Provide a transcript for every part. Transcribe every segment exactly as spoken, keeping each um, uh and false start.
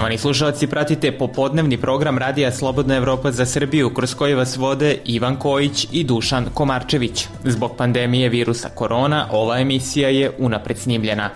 Poštovani slušalci, pratite popodnevni program Radija Slobodna Evropa za Srbiju, kroz koji vas vode Ivan Kojić i Dušan Komarčević. Zbog pandemije virusa korona, ova emisija je unapred snimljena.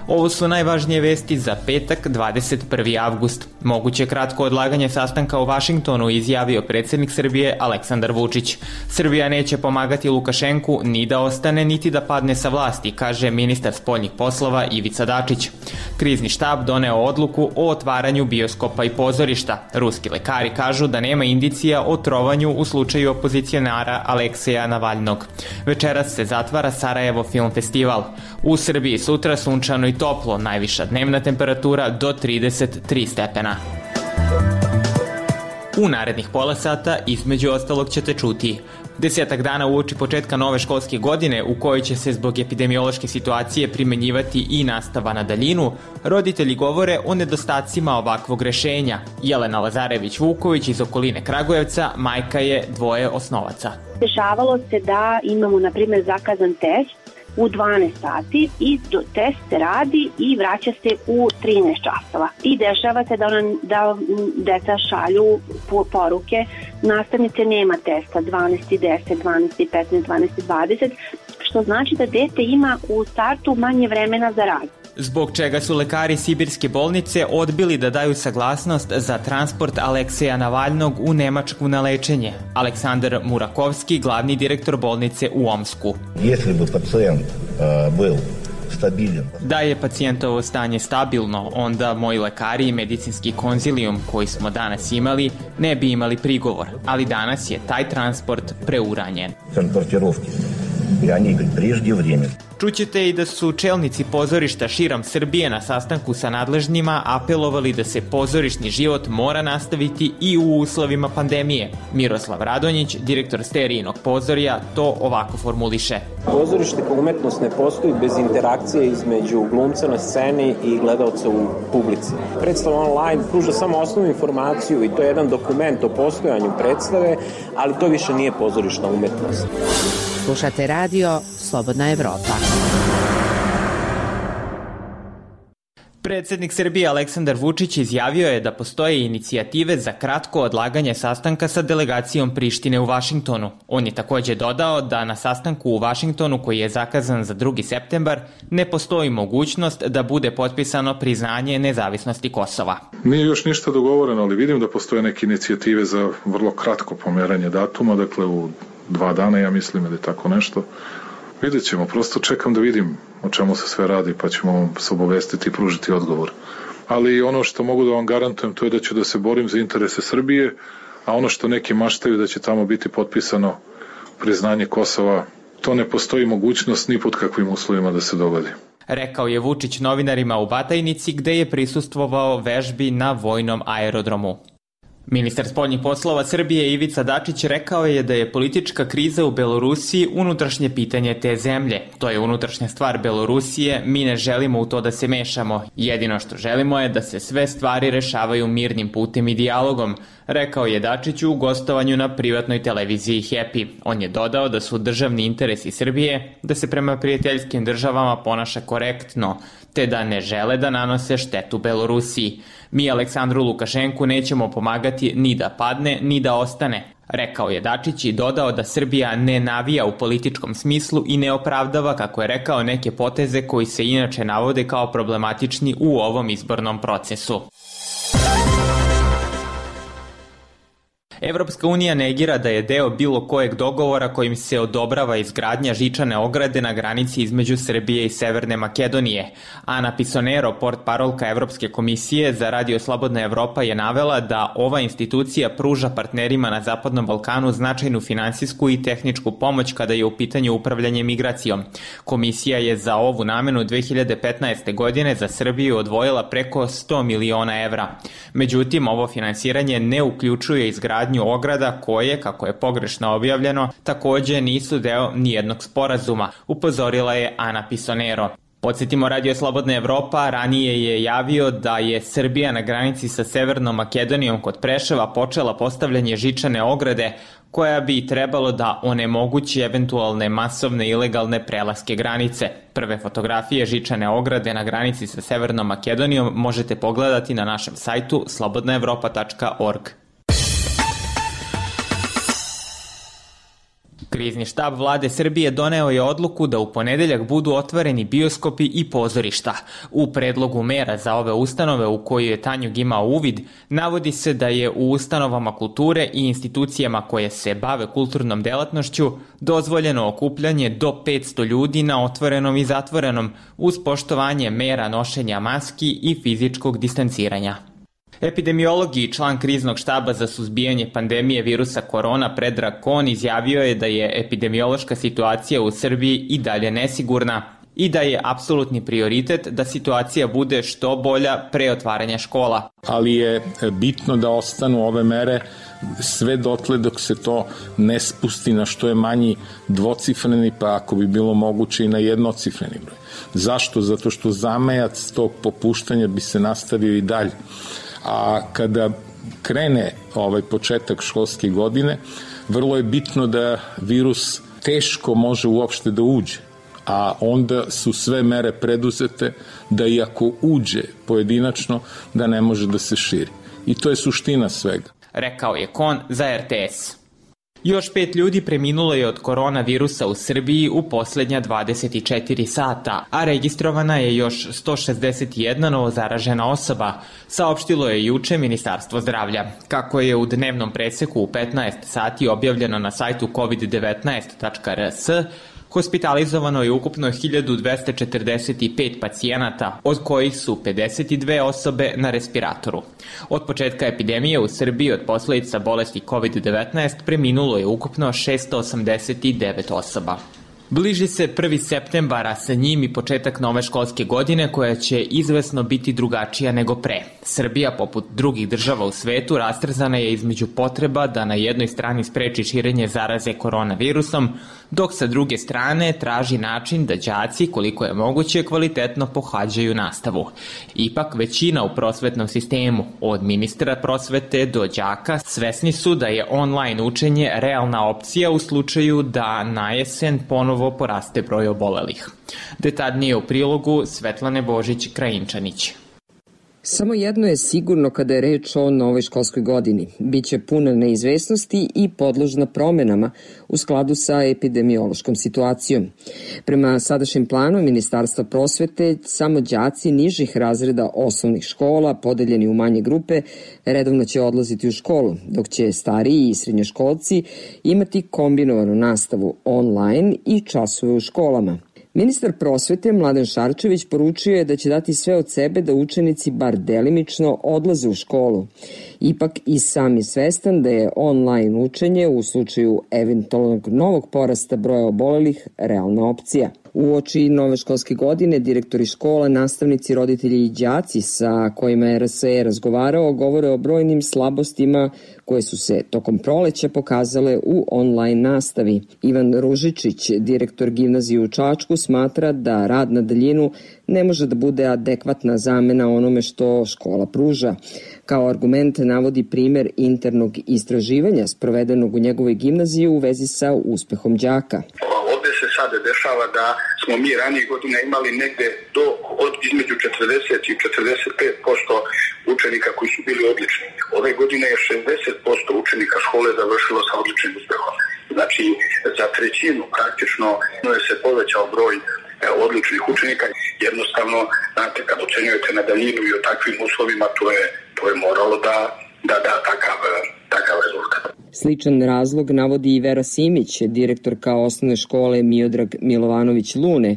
Ovo su najvažnije vesti za petak, dvadeset prvi avgust. Moguće kratko odlaganje sastanka u Vašingtonu izjavio predsjednik Srbije Aleksandar Vučić. Srbija neće pomagati Lukašenku ni da ostane, niti da padne sa vlasti, kaže ministar spoljnih poslova Ivica Dačić. Krizni štab doneo odluku o otvaranju bioskopa i pozorišta. Ruski lekari kažu da nema indicija o trovanju u slučaju opozicionara Alekseja Navalnog. Večeras se zatvara Sarajevo film festival. U Srbiji sutra sunčano i toplo, najviša dnevna temperatura do trideset tri stepena. U narednih pola sata između ostalog ćete čuti: desetak dana uoči početka nove školske godine, u kojoj će se zbog epidemiološke situacije primenjivati i nastava na daljinu, roditelji govore o nedostacima ovakvog rešenja. Jelena Lazarević-Vuković iz okoline Kragujevca majka je dvoje osnovaca. Dešavalo se da imamo, na primjer, zakazan test u dvanaest sati i test se radi i vraća se u trinaest časova. I dešava se da, ona, da deca šalju poruke: nastavnice, nema testa, dvanaest i deset, dvanaest i petnaest, dvanaest i dvadeset, što znači da dete ima u startu manje vremena za rad. Zbog čega su lekari Sibirske bolnice odbili da daju saglasnost za transport Alekseja Navalnog u Nemačku na lečenje. Aleksandar Murakovski, glavni direktor bolnice u Omsku. Если бы пациент был stabilan. Da je pacijentovo stanje stabilno, onda moji lekari i medicinski konzilijum koji smo danas imali ne bi imali prigovor, ali danas je taj transport preuranjen. Transportirovki, i oni preždje vrijeme. Čućete i da su čelnici pozorišta širom Srbije na sastanku sa nadležnjima apelovali da se pozorišni život mora nastaviti i u uslovima pandemije. Miroslav Radonjić, direktor Sterijinog pozorja, to ovako formuliše. Pozorište kao umetnost ne postoji bez interakcije između glumca na sceni i gledalca u publici. Predstava online pruža samo osnovnu informaciju i to je jedan dokument o postojanju predstave, ali to više nije pozorišna umetnost. Slušate radio Slobodna Evropa. Predsjednik Srbije Aleksandar Vučić izjavio je da postoje inicijative za kratko odlaganje sastanka sa delegacijom Prištine u Vašingtonu. On je također dodao da na sastanku u Vašingtonu, koji je zakazan za drugi septembar, ne postoji mogućnost da bude potpisano priznanje nezavisnosti Kosova. Nije još ništa dogovoreno, ali vidim da postoje neke inicijative za vrlo kratko pomeranje datuma, dakle u dva dana, ja mislim, ili tako nešto. Vidjet ćemo, prosto čekam da vidim o čemu se sve radi, pa ćemo se obavestiti i pružiti odgovor. Ali ono što mogu da vam garantujem, to je da ću da se borim za interese Srbije, a ono što neki maštaju da će tamo biti potpisano priznanje Kosova, to ne postoji mogućnost ni pod kakvim uslovima da se dogodi. Rekao je Vučić novinarima u Batajnici, gde je prisustvovao vežbi na vojnom aerodromu. Ministar spoljnih poslova Srbije Ivica Dačić rekao je da je politička kriza u Belorusiji unutrašnje pitanje te zemlje. To je unutrašnja stvar Belorusije, mi ne želimo u to da se mešamo. Jedino što želimo je da se sve stvari rešavaju mirnim putem i dijalogom, rekao je Dačić u gostovanju na privatnoj televiziji Happy. On je dodao da su državni interesi Srbije da se prema prijateljskim državama ponaša korektno, te da ne žele da nanose štetu Belorusiji. Mi Aleksandru Lukašenku nećemo pomagati ni da padne, ni da ostane, rekao je Dačić i dodao da Srbija ne navija u političkom smislu i ne opravdava, kako je rekao, neke poteze koji se inače navode kao problematični u ovom izbornom procesu. Evropska unija negira da je deo bilo kojeg dogovora kojim se odobrava izgradnja žičane ograde na granici između Srbije i Severne Makedonije. Ana Pisonero, portparolka Evropske komisije za Radio Slobodna Evropa, je navela da ova institucija pruža partnerima na Zapadnom Balkanu značajnu finansijsku i tehničku pomoć kada je u pitanju upravljanje migracijom. Komisija je za ovu namenu dve hiljade petnaeste. godine za Srbiju odvojila preko sto miliona evra. Međutim, ovo finansiranje ne uključuje izgradnju ograda koje, kako je pogrešno objavljeno, također nisu deo nijednog sporazuma, upozorila je Ana Pisonero. Podsjetimo, Radio Slobodna Evropa ranije je javio da je Srbija na granici sa Severnom Makedonijom kod Preševa počela postavljanje žičane ograde koja bi trebalo da onemogući eventualne masovne ilegalne prelaske granice. Prve fotografije žičane ograde na granici sa Severnom Makedonijom možete pogledati na našem sajtu slobodna evropa tačka org. Krizni štab vlade Srbije doneo je odluku da u ponedeljak budu otvoreni bioskopi i pozorišta. U predlogu mera za ove ustanove u koju je Tanjug imao uvid, navodi se da je u ustanovama kulture i institucijama koje se bave kulturnom delatnošću dozvoljeno okupljanje do petsto ljudi na otvorenom i zatvorenom uz poštovanje mera nošenja maski i fizičkog distanciranja. Epidemiolog i član kriznog štaba za suzbijanje pandemije virusa korona Predrag Kon izjavio je da je epidemiološka situacija u Srbiji i dalje nesigurna i da je apsolutni prioritet da situacija bude što bolja pre otvaranja škola. Ali je bitno da ostanu ove mere sve dotle dok se to ne spusti na što je manji dvocifreni, pa ako bi bilo moguće i na jednocifreni broj. Zašto? Zato što zamajac tog popuštanja bi se nastavio i dalje. A kada krene ovaj početak školske godine, vrlo je bitno da virus teško može uopšte da uđe, a onda su sve mere preduzete da i ako uđe pojedinačno, da ne može da se širi. I to je suština svega. Rekao je Kon za er te es. Još pet ljudi preminulo je od koronavirusa u Srbiji u poslednja dvadeset četiri sata, a registrovana je još sto šezdeset jedna novozaražena osoba, saopštilo je juče Ministarstvo zdravlja. Kako je u dnevnom preseku u petnaest sati objavljeno na sajtu kovid devetnaest tačka er es, hospitalizovano je ukupno hiljadu dvesta četrdeset pet pacijenata, od kojih su pedeset dve osobe na respiratoru. Od početka epidemije u Srbiji od posledica bolesti kovid devetnaest preminulo je ukupno šesto osamdeset devet osoba. Bliži se prvi septembar, a sa njim i početak nove školske godine koja će izvesno biti drugačija nego pre. Srbija, poput drugih država u svetu, rastrzana je između potreba da na jednoj strani spreči širenje zaraze koronavirusom, dok sa druge strane traži način da đaci, koliko je moguće, kvalitetno pohađaju nastavu. Ipak, većina u prosvetnom sistemu, od ministra prosvete do đaka, svesni su da je online učenje realna opcija u slučaju da na jesen ponovo poraste broj obolelih. Detaljnije u prilogu Svetlane Božić-Krajinčanić. Samo jedno je sigurno kada je reč o novoj školskoj godini. Biće puna neizvesnosti i podložna promenama u skladu sa epidemiološkom situacijom. Prema sadašnjem planu Ministarstva prosvete, samo đaci nižih razreda osnovnih škola, podeljeni u manje grupe, redovno će odlaziti u školu, dok će stariji i srednjoškolci imati kombinovanu nastavu online i časove u školama. Ministar prosvete Mladen Šarčević poručio je da će dati sve od sebe da učenici bar delimično odlaze u školu. Ipak i sam je svestan da je online učenje u slučaju eventualnog novog porasta broja obolelih realna opcija. U oči nove školske godine direktori škola, nastavnici, roditelji i đaci sa kojima je er es e razgovarao govore o brojnim slabostima koje su se tokom proleća pokazale u online nastavi. Ivan Ružičić, direktor gimnazije u Čačku, smatra da rad na daljinu ne može da bude adekvatna zamena onome što škola pruža. Kao argument navodi primer internog istraživanja sprovedenog u njegovoj gimnaziji u vezi sa uspehom đaka. Ovde se sada dešava da smo mi ranije godina imali negde do od između četrdeset i četrdeset pet posto učenika koji su bili odlični. Ove godine je šezdeset posto učenika škole završilo sa odličnim uspehom. Znači, za trećinu praktično je se povećao broj odličnih učenika. Jednostavno, znate, kad ocenjujete na daljinu i o takvim uslovima, to je, to je moralo da da da takav, takav rezultat. Sličan razlog navodi i Vera Simić, direktorka osnovne škole Miodrag Milovanović Lune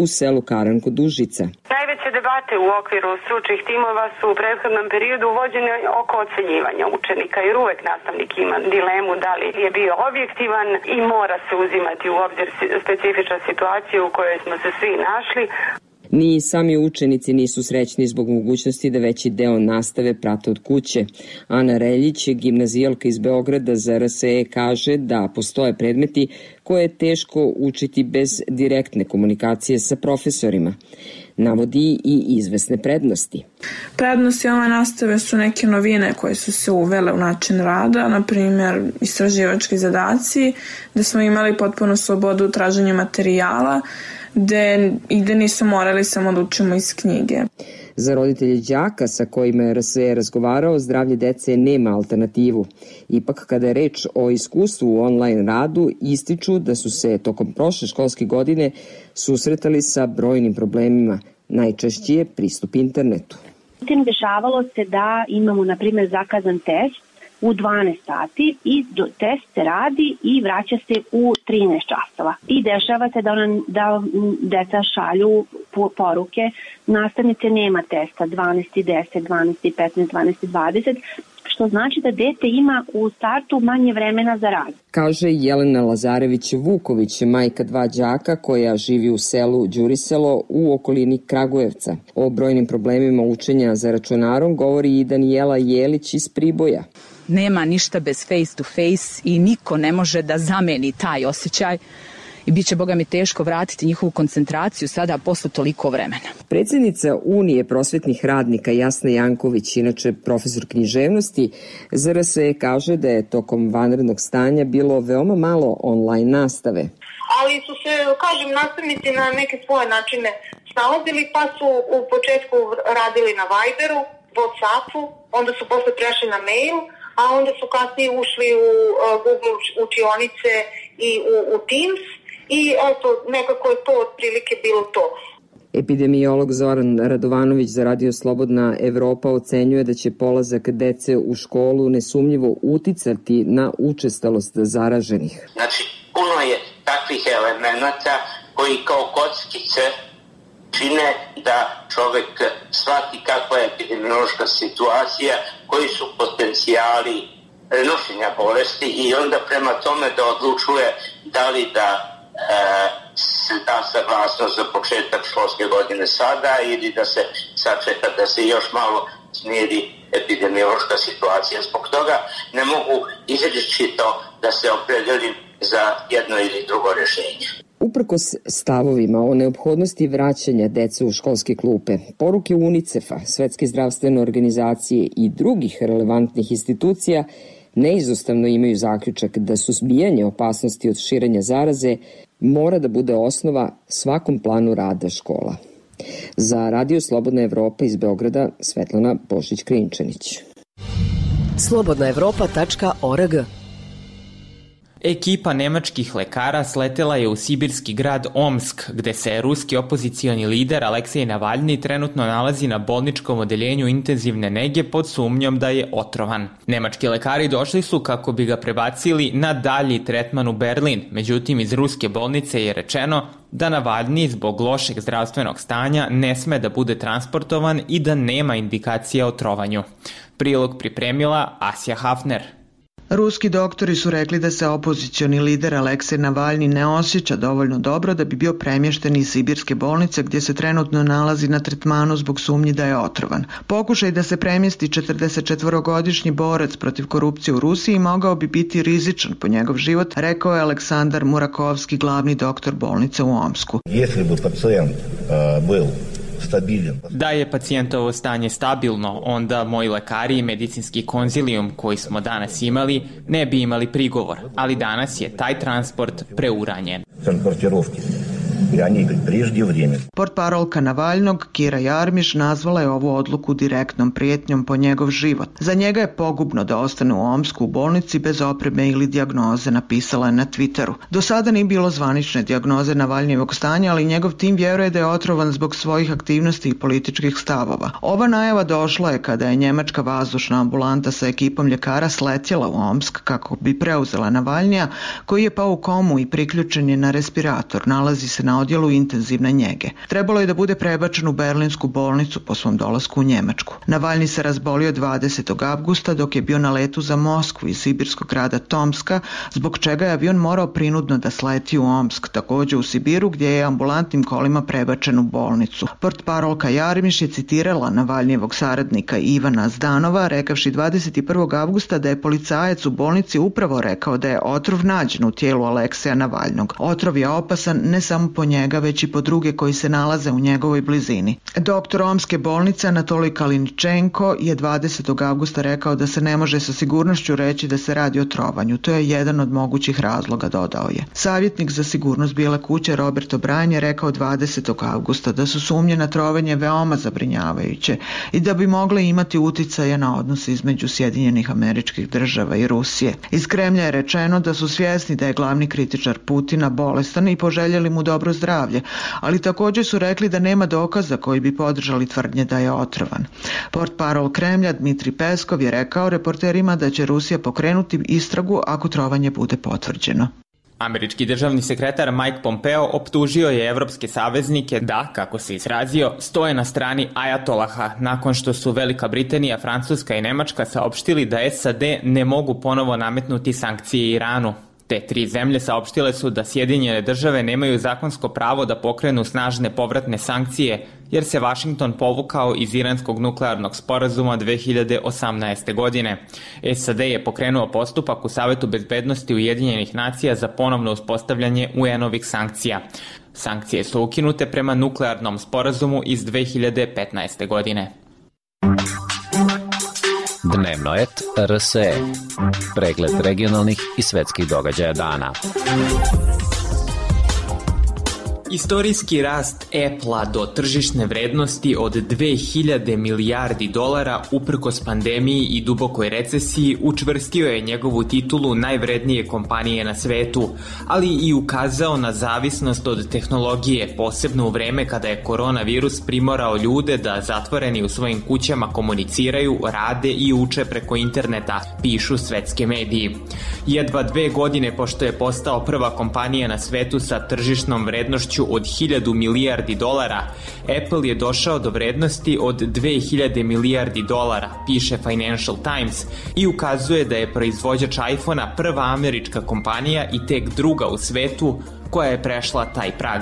u selu Karanko-Dužica. Najveće debate u okviru stručnih timova su u prethodnom periodu vođene oko ocenjivanja učenika, jer uvek nastavnik ima dilemu da li je bio objektivan i mora se uzimati u obzir specifična situacija u kojoj smo se svi našli. Ni sami učenici nisu srećni zbog mogućnosti da veći deo nastave prate od kuće. Ana Reljić, gimnazijalka iz Beograda za R S E, kaže da postoje predmeti koje je teško učiti bez direktne komunikacije sa profesorima. Navodi i izvesne prednosti. Prednosti ove nastave su neke novine koje su se uvele u način rada, na primjer istraživački zadaci, gde smo imali potpuno slobodu u traženju materijala, gde, i gde nisu morali samo da učimo iz knjige. Za roditelje đaka sa kojima je R S E razgovarao, zdravlje dece nema alternativu. Ipak, kada je reč o iskustvu u online radu, ističu da su se tokom prošle školske godine susretali sa brojnim problemima. Najčešći je pristup internetu. Dešavalo se da imamo, na primjer, zakazan test u dvanaest sati i do, test se radi i vraća se u trinaest časova. I dešava se da, ona, da deca šalju poruke, nastavnice nema testa dvanaest i deset, dvanaest i petnaest, dvanaest i dvadeset, što znači da dete ima u startu manje vremena za rad. Kaže Jelena Lazarević-Vuković, majka dva đaka koja živi u selu Đuriselo u okolini Kragujevca. O brojnim problemima učenja za računarom govori i Danijela Jelić iz Priboja. Nema ništa bez face to face i niko ne može da zameni taj osjećaj i bit će, boga mi, teško vratiti njihovu koncentraciju sada posle toliko vremena. Predsjednica Unije prosvetnih radnika Jasna Janković, inače profesor književnosti, za R S E kaže da je tokom vanrednog stanja bilo veoma malo online nastave. Ali su se, kažem, nastavnici na neke svoje načine snalazili, pa su u početku radili na Viberu, Whatsappu, onda su posle prešli na mail, a onda su kasnije ušli u Google učionice i u, u Teams i eto, nekako je to otprilike bilo to. Epidemiolog Zoran Radovanović za Radio Slobodna Evropa ocenjuje da će polazak dece u školu nesumnjivo uticati na učestalost zaraženih. Znači, puno je takvih elemenata koji kao kockice čine da čovek shvati kakva je epidemiološka situacija, koji su potencijali prenošenja bolesti i onda prema tome da odlučuje da li da e, se da saglasnost za početak školske godine sada ili da se sačeka da se još malo smiri epidemiološka situacija. Zbog toga ne mogu izričito da se opredelim za jedno ili drugo rješenje. Uprkos stavovima o neophodnosti vraćanja dece u školske klupe, poruke UNICEF-a, Svetske zdravstvene organizacije i drugih relevantnih institucija neizostavno imaju zaključak da suzbijanje opasnosti od širenja zaraze mora da bude osnova svakom planu rada škola. Za Radio Slobodna Evropa iz Beograda, Svetlana Bošić-Krinčanić. slobodna evropa tačka org. Ekipa nemačkih lekara sletela je u sibirski grad Omsk, gde se ruski opozicioni lider Aleksej Navalni trenutno nalazi na bolničkom odeljenju intenzivne nege pod sumnjom da je otrovan. Nemački lekari došli su kako bi ga prebacili na dalji tretman u Berlin, međutim iz ruske bolnice je rečeno da Navalni zbog lošeg zdravstvenog stanja ne sme da bude transportovan i da nema indikacija o trovanju. Prilog pripremila Asja Hafner. Ruski doktori su rekli da se opozicioni lider Aleksej Navalni ne osjeća dovoljno dobro da bi bio premješten iz sibirske bolnice gdje se trenutno nalazi na tretmanu zbog sumnji da je otrovan. Pokušaj da se premjesti četrdesetčetvorogodišnji borac protiv korupcije u Rusiji mogao bi biti rizičan po njegov život, rekao je Aleksandar Murakovski, glavni doktor bolnice u Omsku. Если бы пациент был stabilan. Da je pacijentovo stanje stabilno, onda moji lekari i medicinski konzilijum koji smo danas imali ne bi imali prigovor, ali danas je taj transport preuranjen. Transportirovki. Portparolka Navalnog, Kira Jarmiš, nazvala je ovu odluku direktnom prijetnjom po njegov život. Za njega je pogubno da ostane u Omsku u bolnici bez opreme ili dijagnoze, napisala je na Twitteru. Do sada nije bilo zvanične dijagnoze Navalnijevog stanja, ali njegov tim vjeruje da je otrovan zbog svojih aktivnosti i političkih stavova. Ova najava došla je kada je njemačka vazdušna ambulanta sa ekipom ljekara sletjela u Omsk kako bi preuzela Navalnija, koji je pao u komu i priključen je na respirator. Nalazi se na na odjelu intenzivne njege. Trebalo je da bude prebačen u berlinsku bolnicu po svom dolasku u Njemačku. Navalni se razbolio dvadesetog avgusta dok je bio na letu za Moskvu iz sibirskog grada Tomska, zbog čega je avion morao prinudno da sleti u Omsk, takođe u Sibiru, gdje je ambulantnim kolima prebačen u bolnicu. Portparolka Jarmiš je citirala Navalnijevog saradnika Ivana Zdanova, rekavši dvadeset prvog avgusta da je policajac u bolnici upravo rekao da je otrov nađen u tijelu Alekseja Navalnog. Otrov je opasan ne samo po njega, već i po druge koji se nalaze u njegovoj blizini. Doktor Omske bolnice Anatolij Kaliničenko je dvadesetog avgusta rekao da se ne može sa sigurnošću reći da se radi o trovanju. To je jedan od mogućih razloga, dodao je. Savjetnik za sigurnost Bijele kuće Robert O'Brien je rekao dvadesetog avgusta da su sumnje na trovanje veoma zabrinjavajuće i da bi mogle imati uticaje na odnose između Sjedinjenih Američkih Država i Rusije. Iz Kremlja je rečeno da su svjesni da je glavni kritičar Putina bolestan i poželjeli mu dobro zdravlje, ali također su rekli da nema dokaza koji bi podržali tvrdnje da je otrovan. Portparol Kremlja Dmitri Peskov je rekao reporterima da će Rusija pokrenuti istragu ako trovanje bude potvrđeno. Američki državni sekretar Mike Pompeo optužio je evropske saveznike da, kako se izrazio, stoje na strani ajatolaha nakon što su Velika Britanija, Francuska i Nemačka saopštili da S A D ne mogu ponovo nametnuti sankcije Iranu. Te tri zemlje saopštile su da Sjedinjene države nemaju zakonsko pravo da pokrenu snažne povratne sankcije, jer se Vašington povukao iz iranskog nuklearnog sporazuma dve hiljade osamnaeste. godine. S A D je pokrenuo postupak u Savetu bezbednosti Ujedinjenih nacija za ponovno uspostavljanje U N-ovih sankcija. Sankcije su ukinute prema nuklearnom sporazumu iz dve hiljade petnaeste. godine. Dnevno et R S E. Pregled regionalnih i svetskih događaja dana. Istorijski rast Apple-a do tržišne vrednosti od dve hiljade milijardi dolara uprkos pandemiji i dubokoj recesiji učvrstio je njegovu titulu najvrednije kompanije na svetu, ali i ukazao na zavisnost od tehnologije, posebno u vreme kada je koronavirus primorao ljude da zatvoreni u svojim kućama komuniciraju, rade i uče preko interneta, pišu svetske mediji. Jedva dve godine pošto je postao prva kompanija na svetu sa tržišnom vrednošću od hiljadu milijardi dolara, Apple je došao do vrednosti od dve hiljade milijardi dolara, piše Financial Times, i ukazuje da je proizvođač iPhone-a prva američka kompanija i tek druga u svetu koja je prešla taj prag.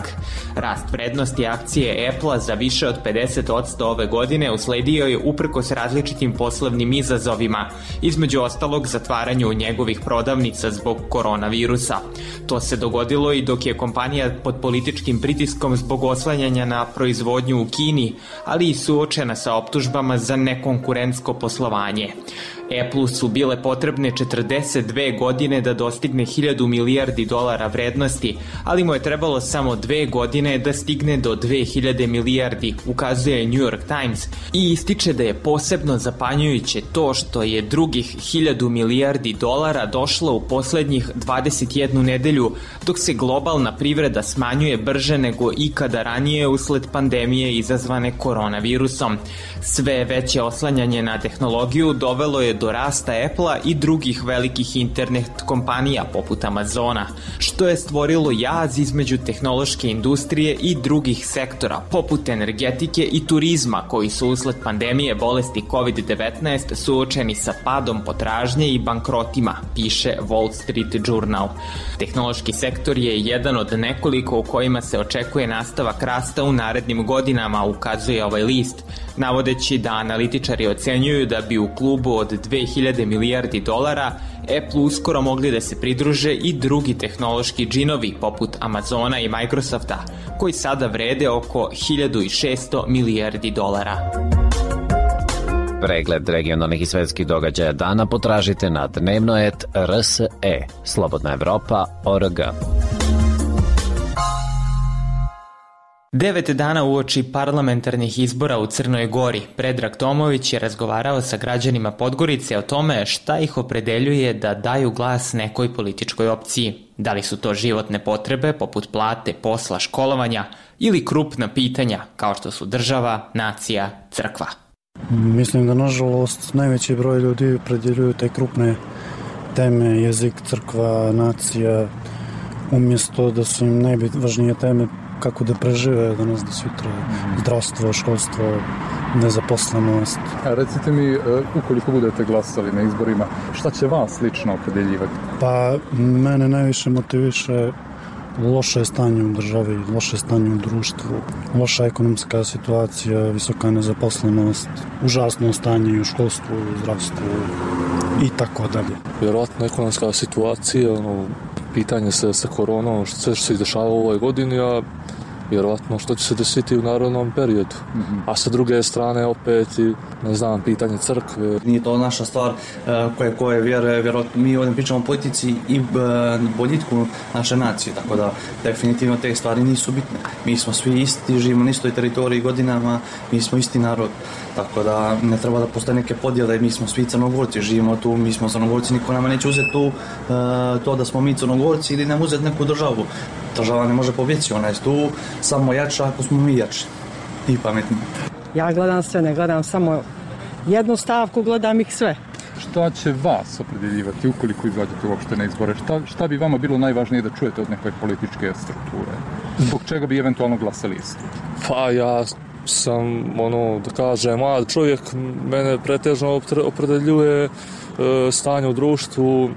Rast vrednosti akcije Apple-a za više od pedeset posto ove godine usledio je uprkos različitim poslovnim izazovima, između ostalog zatvaranju njegovih prodavnica zbog koronavirusa. To se dogodilo i dok je kompanija pod političkim pritiskom zbog oslanjanja na proizvodnju u Kini, ali i suočena sa optužbama za nekonkurentsko poslovanje. Apple-u su bile potrebne četrdeset dve godine da dostigne hiljadu milijardi dolara vrednosti, ali mu je trebalo samo dve godine da stigne do dve hiljade milijardi, ukazuje New York Times, i ističe da je posebno zapanjujuće to što je drugih hiljadu milijardi dolara došlo u poslednjih dvadeset jednu nedelju, dok se globalna privreda smanjuje brže nego ikada ranije usled pandemije izazvane koronavirusom. Sve veće oslanjanje na tehnologiju dovelo je do rasta Apple-a i drugih velikih internet kompanija poput Amazona, što je stvorilo jaz između tehnološke industrije i drugih sektora poput energetike i turizma koji su usled pandemije bolesti kovid devetnaest suočeni sa padom potražnje i bankrotima, piše Wall Street Journal. Tehnološki sektor je jedan od nekoliko u kojima se očekuje nastavak rasta u narednim godinama, ukazuje ovaj list, navodeći da analitičari ocenjuju da bi u klubu od dve hiljade milijardi dolara Apple uskoro mogli da se pridruže i drugi tehnološki džinovi poput Amazona i Microsofta, koji sada vrede oko hiljadu šesto milijardi dolara. Pregled regionalnih i svetskih događaja dana potražite na dnevno et R S E, Slobodna Evropa, O R G. Devet dana uoči parlamentarnih izbora u Crnoj Gori, Predrag Tomović je razgovarao sa građanima Podgorice o tome šta ih opredeljuje da daju glas nekoj političkoj opciji. Da li su to životne potrebe poput plate, posla, školovanja ili krupna pitanja kao što su država, nacija, crkva. Mislim da nažalost najveći broj ljudi opredeljuju te krupne teme, jezik, crkva, nacija, umjesto da su im najvažnije teme kako da prežive danas do sutra, zdravstvo, školstvo, nezaposlenost. A recite mi, ukoliko budete glasali na izborima, šta će vas lično opredeljivati? Pa mene najviše motiviše loše stanje u državi, loše stanje u društvu, loša ekonomska situacija, visoka nezaposlenost, užasno stanje u školstvu, u zdravstvu i tako dalje. Vjerojatno ekonomska situacija, ono, pitanje se sa koronom, sve što se izdešava u ovoj godini, a vjerovatno što će se desiti u narodnom periodu. Mm-hmm. A sa druge strane opet i, ne znam, pitanje crkve. Nije to naša stvar koje, koje vjeruje, vjerojatno mi ovdje pričamo o politici i boljitku naše nacije, tako da definitivno te stvari nisu bitne. Mi smo svi isti, živimo na istoj teritoriji godinama, mi smo isti narod, tako da ne treba da postoje neke podjele, mi smo svi Crnogorci, živimo tu, mi smo Crnogorci, niko nama neće uzeti tu to da smo mi Crnogorci ili nam uzeti neku državu. Država ne može pobjeći, ona je tu samo jača ako smo mi jači i pametni. Ja gledam sve, ne gledam samo jednu stavku, gledam ih sve. Šta će vas opredeljivati ukoliko izađete uopšte na izbore? Šta, šta bi vama bilo najvažnije da čujete od neke političke strukture? Zbog čega bi eventualno glasali isti? Pa ja sam, ono, da kažem, mlad čovjek, mene pretežno opredeljuje e, stanje u društvu,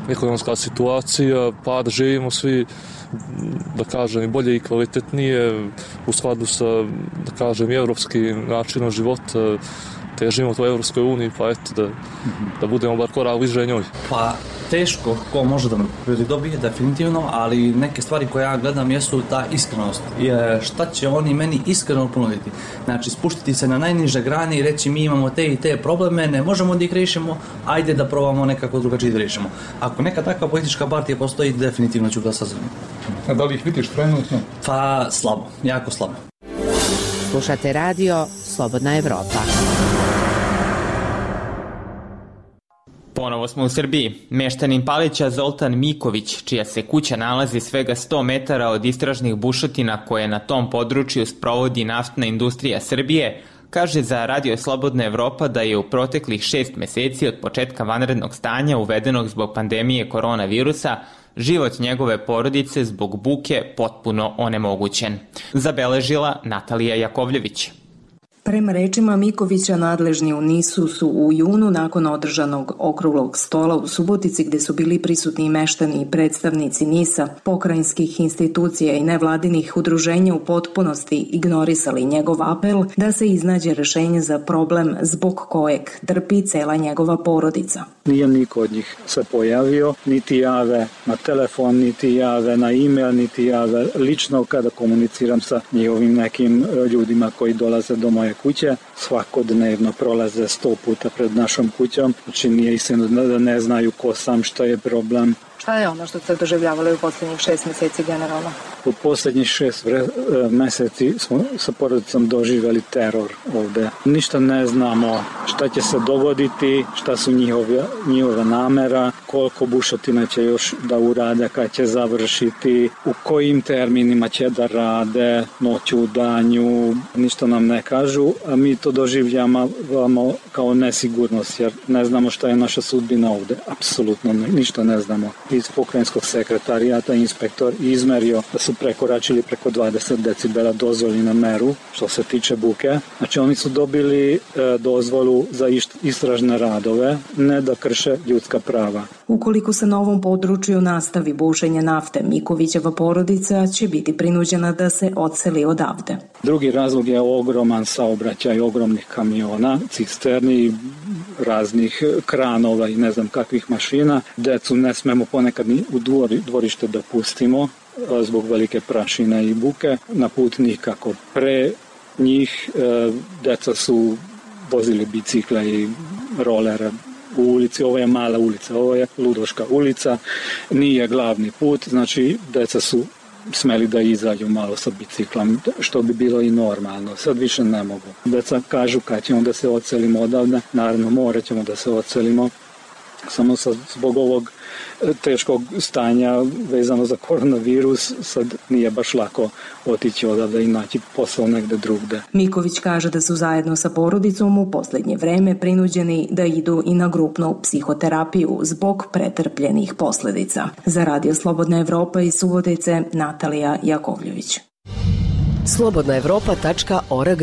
ekonomska situacija, pa da živimo svi, da kažem, i bolje i kvalitetnije u skladu sa, da kažem, evropskim načinom života, težimo to Evropskoj uniji, pa eto, da, da budemo bar korak bliže njoj. Pa teško, ko može da me dobije, definitivno, ali neke stvari koje ja gledam jesu ta iskrenost. Je, šta će oni meni iskreno ponuditi? Znači, spuštiti se na najniže grane i reći mi imamo te i te probleme, ne možemo da ih rešimo, ajde da probamo nekako drugačije da rešimo. Ako neka takva politička partija postoji, definitivno ću glasati za nju. A da li ih vidiš trenutno? Pa slabo, jako slabo. Slušate radio Slobodna Evropa. Ponovo smo u Srbiji. Meštanin Palića Zoltan Miković, čija se kuća nalazi svega sto metara od istražnih bušotina koje na tom području sprovodi naftna industrija Srbije, kaže za Radio Slobodna Evropa da je u proteklih šest meseci od početka vanrednog stanja uvedenog zbog pandemije koronavirusa život njegove porodice zbog buke potpuno onemogućen. Zabeležila Natalija Jakovljević. Prema rečima Mikovića, nadležni u Nisu su u junu nakon održanog okruglog stola u Subotici, gde su bili prisutni meštani i predstavnici Nisa, pokrajinskih institucija i nevladinih udruženja, u potpunosti ignorisali njegov apel da se iznađe rešenje za problem zbog kojeg trpi cela njegova porodica. Nije niko od njih se pojavio, niti jave na telefon, niti jave na e-mail, niti jave lično kada komuniciram sa njihovim nekim ljudima koji dolaze do moje kuće. Svakodnevno prolaze sto puta pred našom kućom, znači nije istina da ne znaju ko sam, šta je problem. Šta je ono što ste doživljavali u posljednjih šest meseci generalno? U posljednjih šest vre, meseci smo sa porodicom doživjeli teror ovde. Ništa ne znamo šta će se dogoditi, šta su njihove, njihova namera, koliko bušotina će još da urade, kad će završiti, u kojim terminima će da rade, noću u danju, ništa nam ne kažu, a mi to doživljavamo kao nesigurnost, jer ne znamo šta je naša sudbina ovde. Apsolutno ništa ne znamo. Iz pokrajinskog sekretarijata inspektor izmerio da su prekoračili preko dvadeset decibela dozvoljenu meru što se tiče buke. Znači oni su dobili e, dozvolu za istražne radove, ne da krše ljudska prava. Ukoliko se na ovom području nastavi bušenje nafte, Mikovićeva porodica će biti prinuđena da se odseli odavde. Drugi razlog je ogroman saobraćaj ogromnih kamiona, cisterni, raznih kranova i ne znam kakvih mašina. Decu ne smemo ponekad ni u dvorište da pustimo zbog velike prašine i buke. Na put nikako. Pre njih deca su vozili bicikle i rolere u ulici. Ovo je mala ulica, ovo je Ludoška ulica, nije glavni put, znači deca su smeli da izađu malo sa biciklom, što bi bilo i normalno. Sad više ne mogu. Deca kažu kad ćemo da se odselimo odavde, naravno morat ćemo da se odselimo, samo sa, zbog ovog teškog stanja vezano za koronavirus, sad nije baš lako otići odavde i naći posao negde drugde. Miković kaže da su zajedno sa porodicom u poslednje vreme prinuđeni da idu i na grupnu psihoterapiju zbog pretrpljenih posledica. Za Radio Slobodna Evropa iz Subotice, Natalija Jakovljević. slobodna evropa tačka org.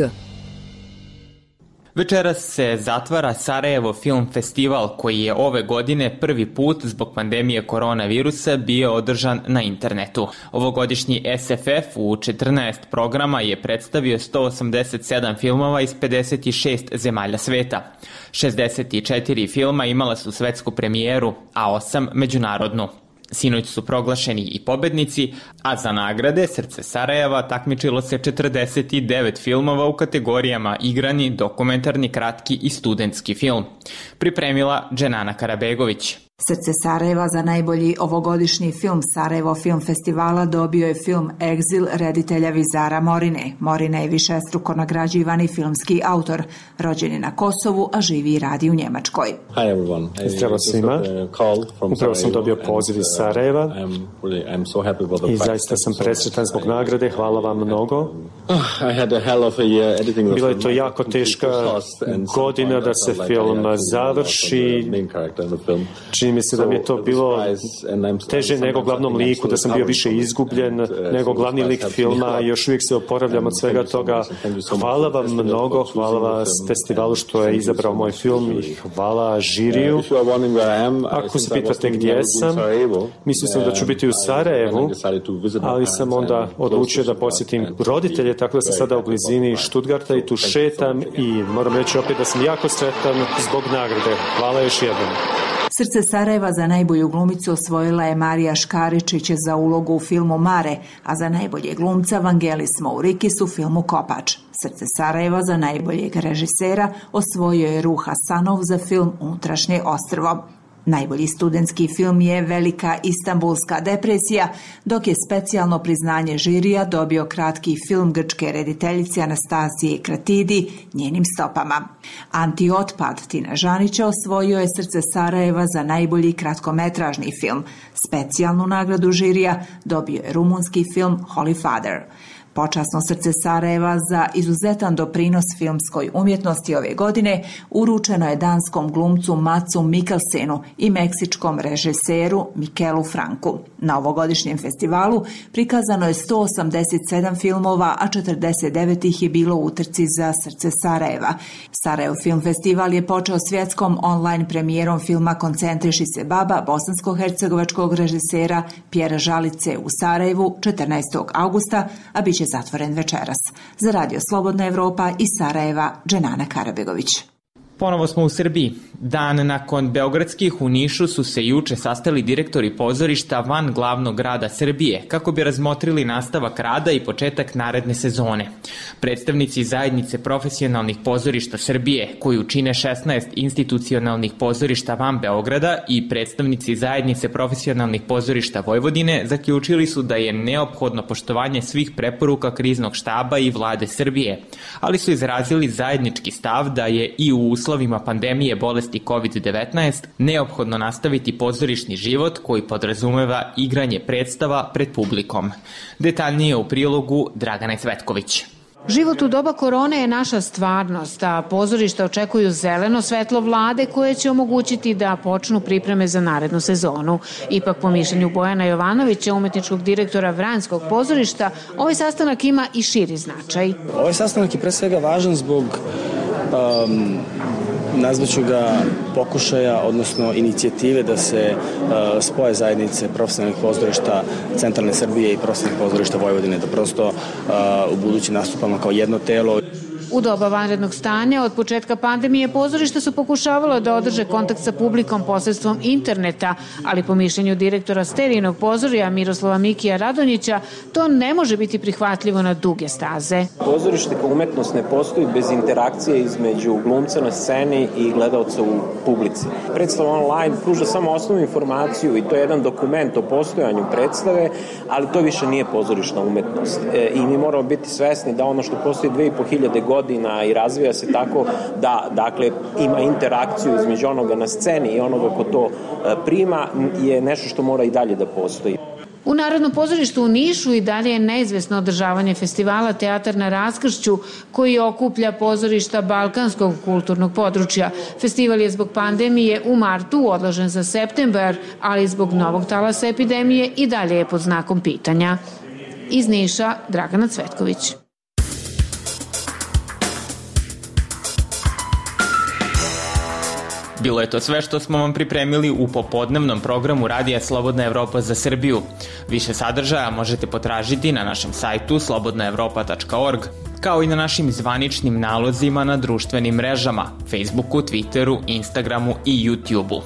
Večeras se zatvara Sarajevo Film Festival koji je ove godine prvi put zbog pandemije koronavirusa bio održan na internetu. Ovogodišnji S F F u četrnaest programa je predstavio sto osamdeset sedam filmova iz pedeset šest zemalja sveta. šezdeset četiri filma imala su svetsku premijeru, a osam međunarodnu. Sinoć su proglašeni i pobednici, a za nagrade Srce Sarajeva takmičilo se četrdeset devet filmova u kategorijama igrani, dokumentarni, kratki i studentski film. Pripremila Dženana Karabegović. Srce Sarajeva za najbolji ovogodišnji film Sarajevo Film Festivala dobio je film Egzil reditelja Vizara Morine. Morina je višestruko nagrađivani filmski autor. Rođen je na Kosovu, a živi i radi u Njemačkoj. Zdravo svima. Upravo sam dobio poziv iz Sarajeva i zaista sam presretan zbog nagrade. Hvala vam mnogo. Bila je to jako teška godina da se film završi. Čini mi se da mi je to bilo teže nego glavnom liku, da sam bio više izgubljen nego glavni lik filma i još uvijek se oporavljam od svega toga. Hvala vam mnogo, hvala vas festivalu što je izabrao moj film i hvala žiriju. Ako se pitate gdje sam, mislio sam da ću biti u Sarajevu, ali sam onda odlučio da posjetim roditelje, tako da sam sada u blizini Stuttgarta i tu šetam i moram reći opet da sam jako sretan zbog nagrade. Hvala još jednom. Srce Sarajeva za najbolju glumicu osvojila je Marija Škaričić za ulogu u filmu Mare, a za najbolje glumca Vangelis Mourikis u filmu Kopač. Srce Sarajeva za najboljeg režisera osvojio je Ruha Sanov za film Unutrašnje ostrvo. Najbolji studentski film je Velika Istanbulska depresija, dok je specijalno priznanje žirija dobio kratki film grčke rediteljice Anastasije Kratidi Njenim stopama. Antiotpad Tina Žanića osvojio je Srce Sarajeva za najbolji kratkometražni film. Specijalnu nagradu žirija dobio je rumunski film Holy Father. Počasno Srce Sarajeva za izuzetan doprinos filmskoj umjetnosti ove godine uručeno je danskom glumcu Matsu Mikkelsenu i meksičkom režiseru Mikelu Franku. Na ovogodišnjem festivalu prikazano je sto osamdeset sedam filmova, a četrdeset devet ih je bilo u utrci za Srce Sarajeva. Sarajevo Film Festival je počeo svjetskom online premijerom filma Koncentriši se baba bosansko-hercegovačkog režisera Pjera Žalice u Sarajevu četrnaestog augusta, a bit će zatvoren večeras. Za Radio Slobodna Evropa iz Sarajeva, Dženana Karabegović. Ponovo smo u Srbiji. Dan nakon beogradskih u Nišu su se juče sastali direktori pozorišta van glavnog grada Srbije kako bi razmotrili nastavak rada i početak naredne sezone. Predstavnici zajednice profesionalnih pozorišta Srbije, koju čine šesnaest institucionalnih pozorišta van Beograda, i predstavnici zajednice profesionalnih pozorišta Vojvodine zaključili su da je neophodno poštovanje svih preporuka kriznog štaba i vlade Srbije, ali su izrazili zajednički stav da je i u uslovima pandemije bolesti kovid devetnaest neophodno nastaviti pozorišni život koji podrazumeva igranje predstava pred publikom. Detaljnije u prilogu Dragane Cvetković. Život u doba korone je naša stvarnost, a pozorišta očekuju zeleno svetlo vlade koje će omogućiti da počnu pripreme za narednu sezonu. Ipak, po mišljenju Bojana Jovanovića, umetničkog direktora Vranjskog pozorišta, ovaj sastanak ima i širi značaj. Ovaj sastanak je pre svega važan zbog um, nazvaću ga pokušaja, odnosno inicijative da se uh, spoje zajednice profesionalnih pozorišta centralne Srbije i profesionalnih pozorišta Vojvodine, da prosto uh, u budući nastupamo kao jedno telo. U doba vanrednog stanja od početka pandemije pozorišta su pokušavala da održe kontakt sa publikom posredstvom interneta, ali po mišljenju direktora Sterijinog pozorija Miroslava Mikija Radonjića to ne može biti prihvatljivo na duge staze. Pozorište kao umetnost ne postoji bez interakcije između glumca na sceni i gledalca u publici. Predstava online pruža samo osnovnu informaciju i to je jedan dokument o postojanju predstave, ali to više nije pozorišna umetnost. E, I mi moramo biti svesni da ono što postoji dve i po hiljade godina godina i razvija se tako da, dakle, ima interakciju između onoga na sceni i onoga ko to prima, je nešto što mora i dalje da postoji. U Narodnom pozorištu u Nišu i dalje je neizvesno održavanje festivala Teatar na raskršću, koji okuplja pozorišta balkanskog kulturnog područja. Festival je zbog pandemije u martu odložen za septembar, ali zbog novog talasa epidemije i dalje je pod znakom pitanja. Iz Niša, Dragana Cvetković. Bilo je to sve što smo vam pripremili u popodnevnom programu Radija Slobodna Evropa za Srbiju. Više sadržaja možete potražiti na našem sajtu slobodna evropa tačka org, kao i na našim zvaničnim nalozima na društvenim mrežama, Facebooku, Twitteru, Instagramu i YouTubeu.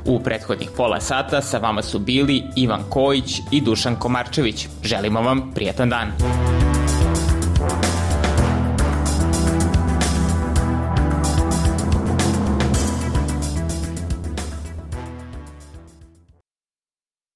U prethodnih pola sata sa vama su bili Ivan Kojić i Dušan Komarčević. Želimo vam prijatan dan.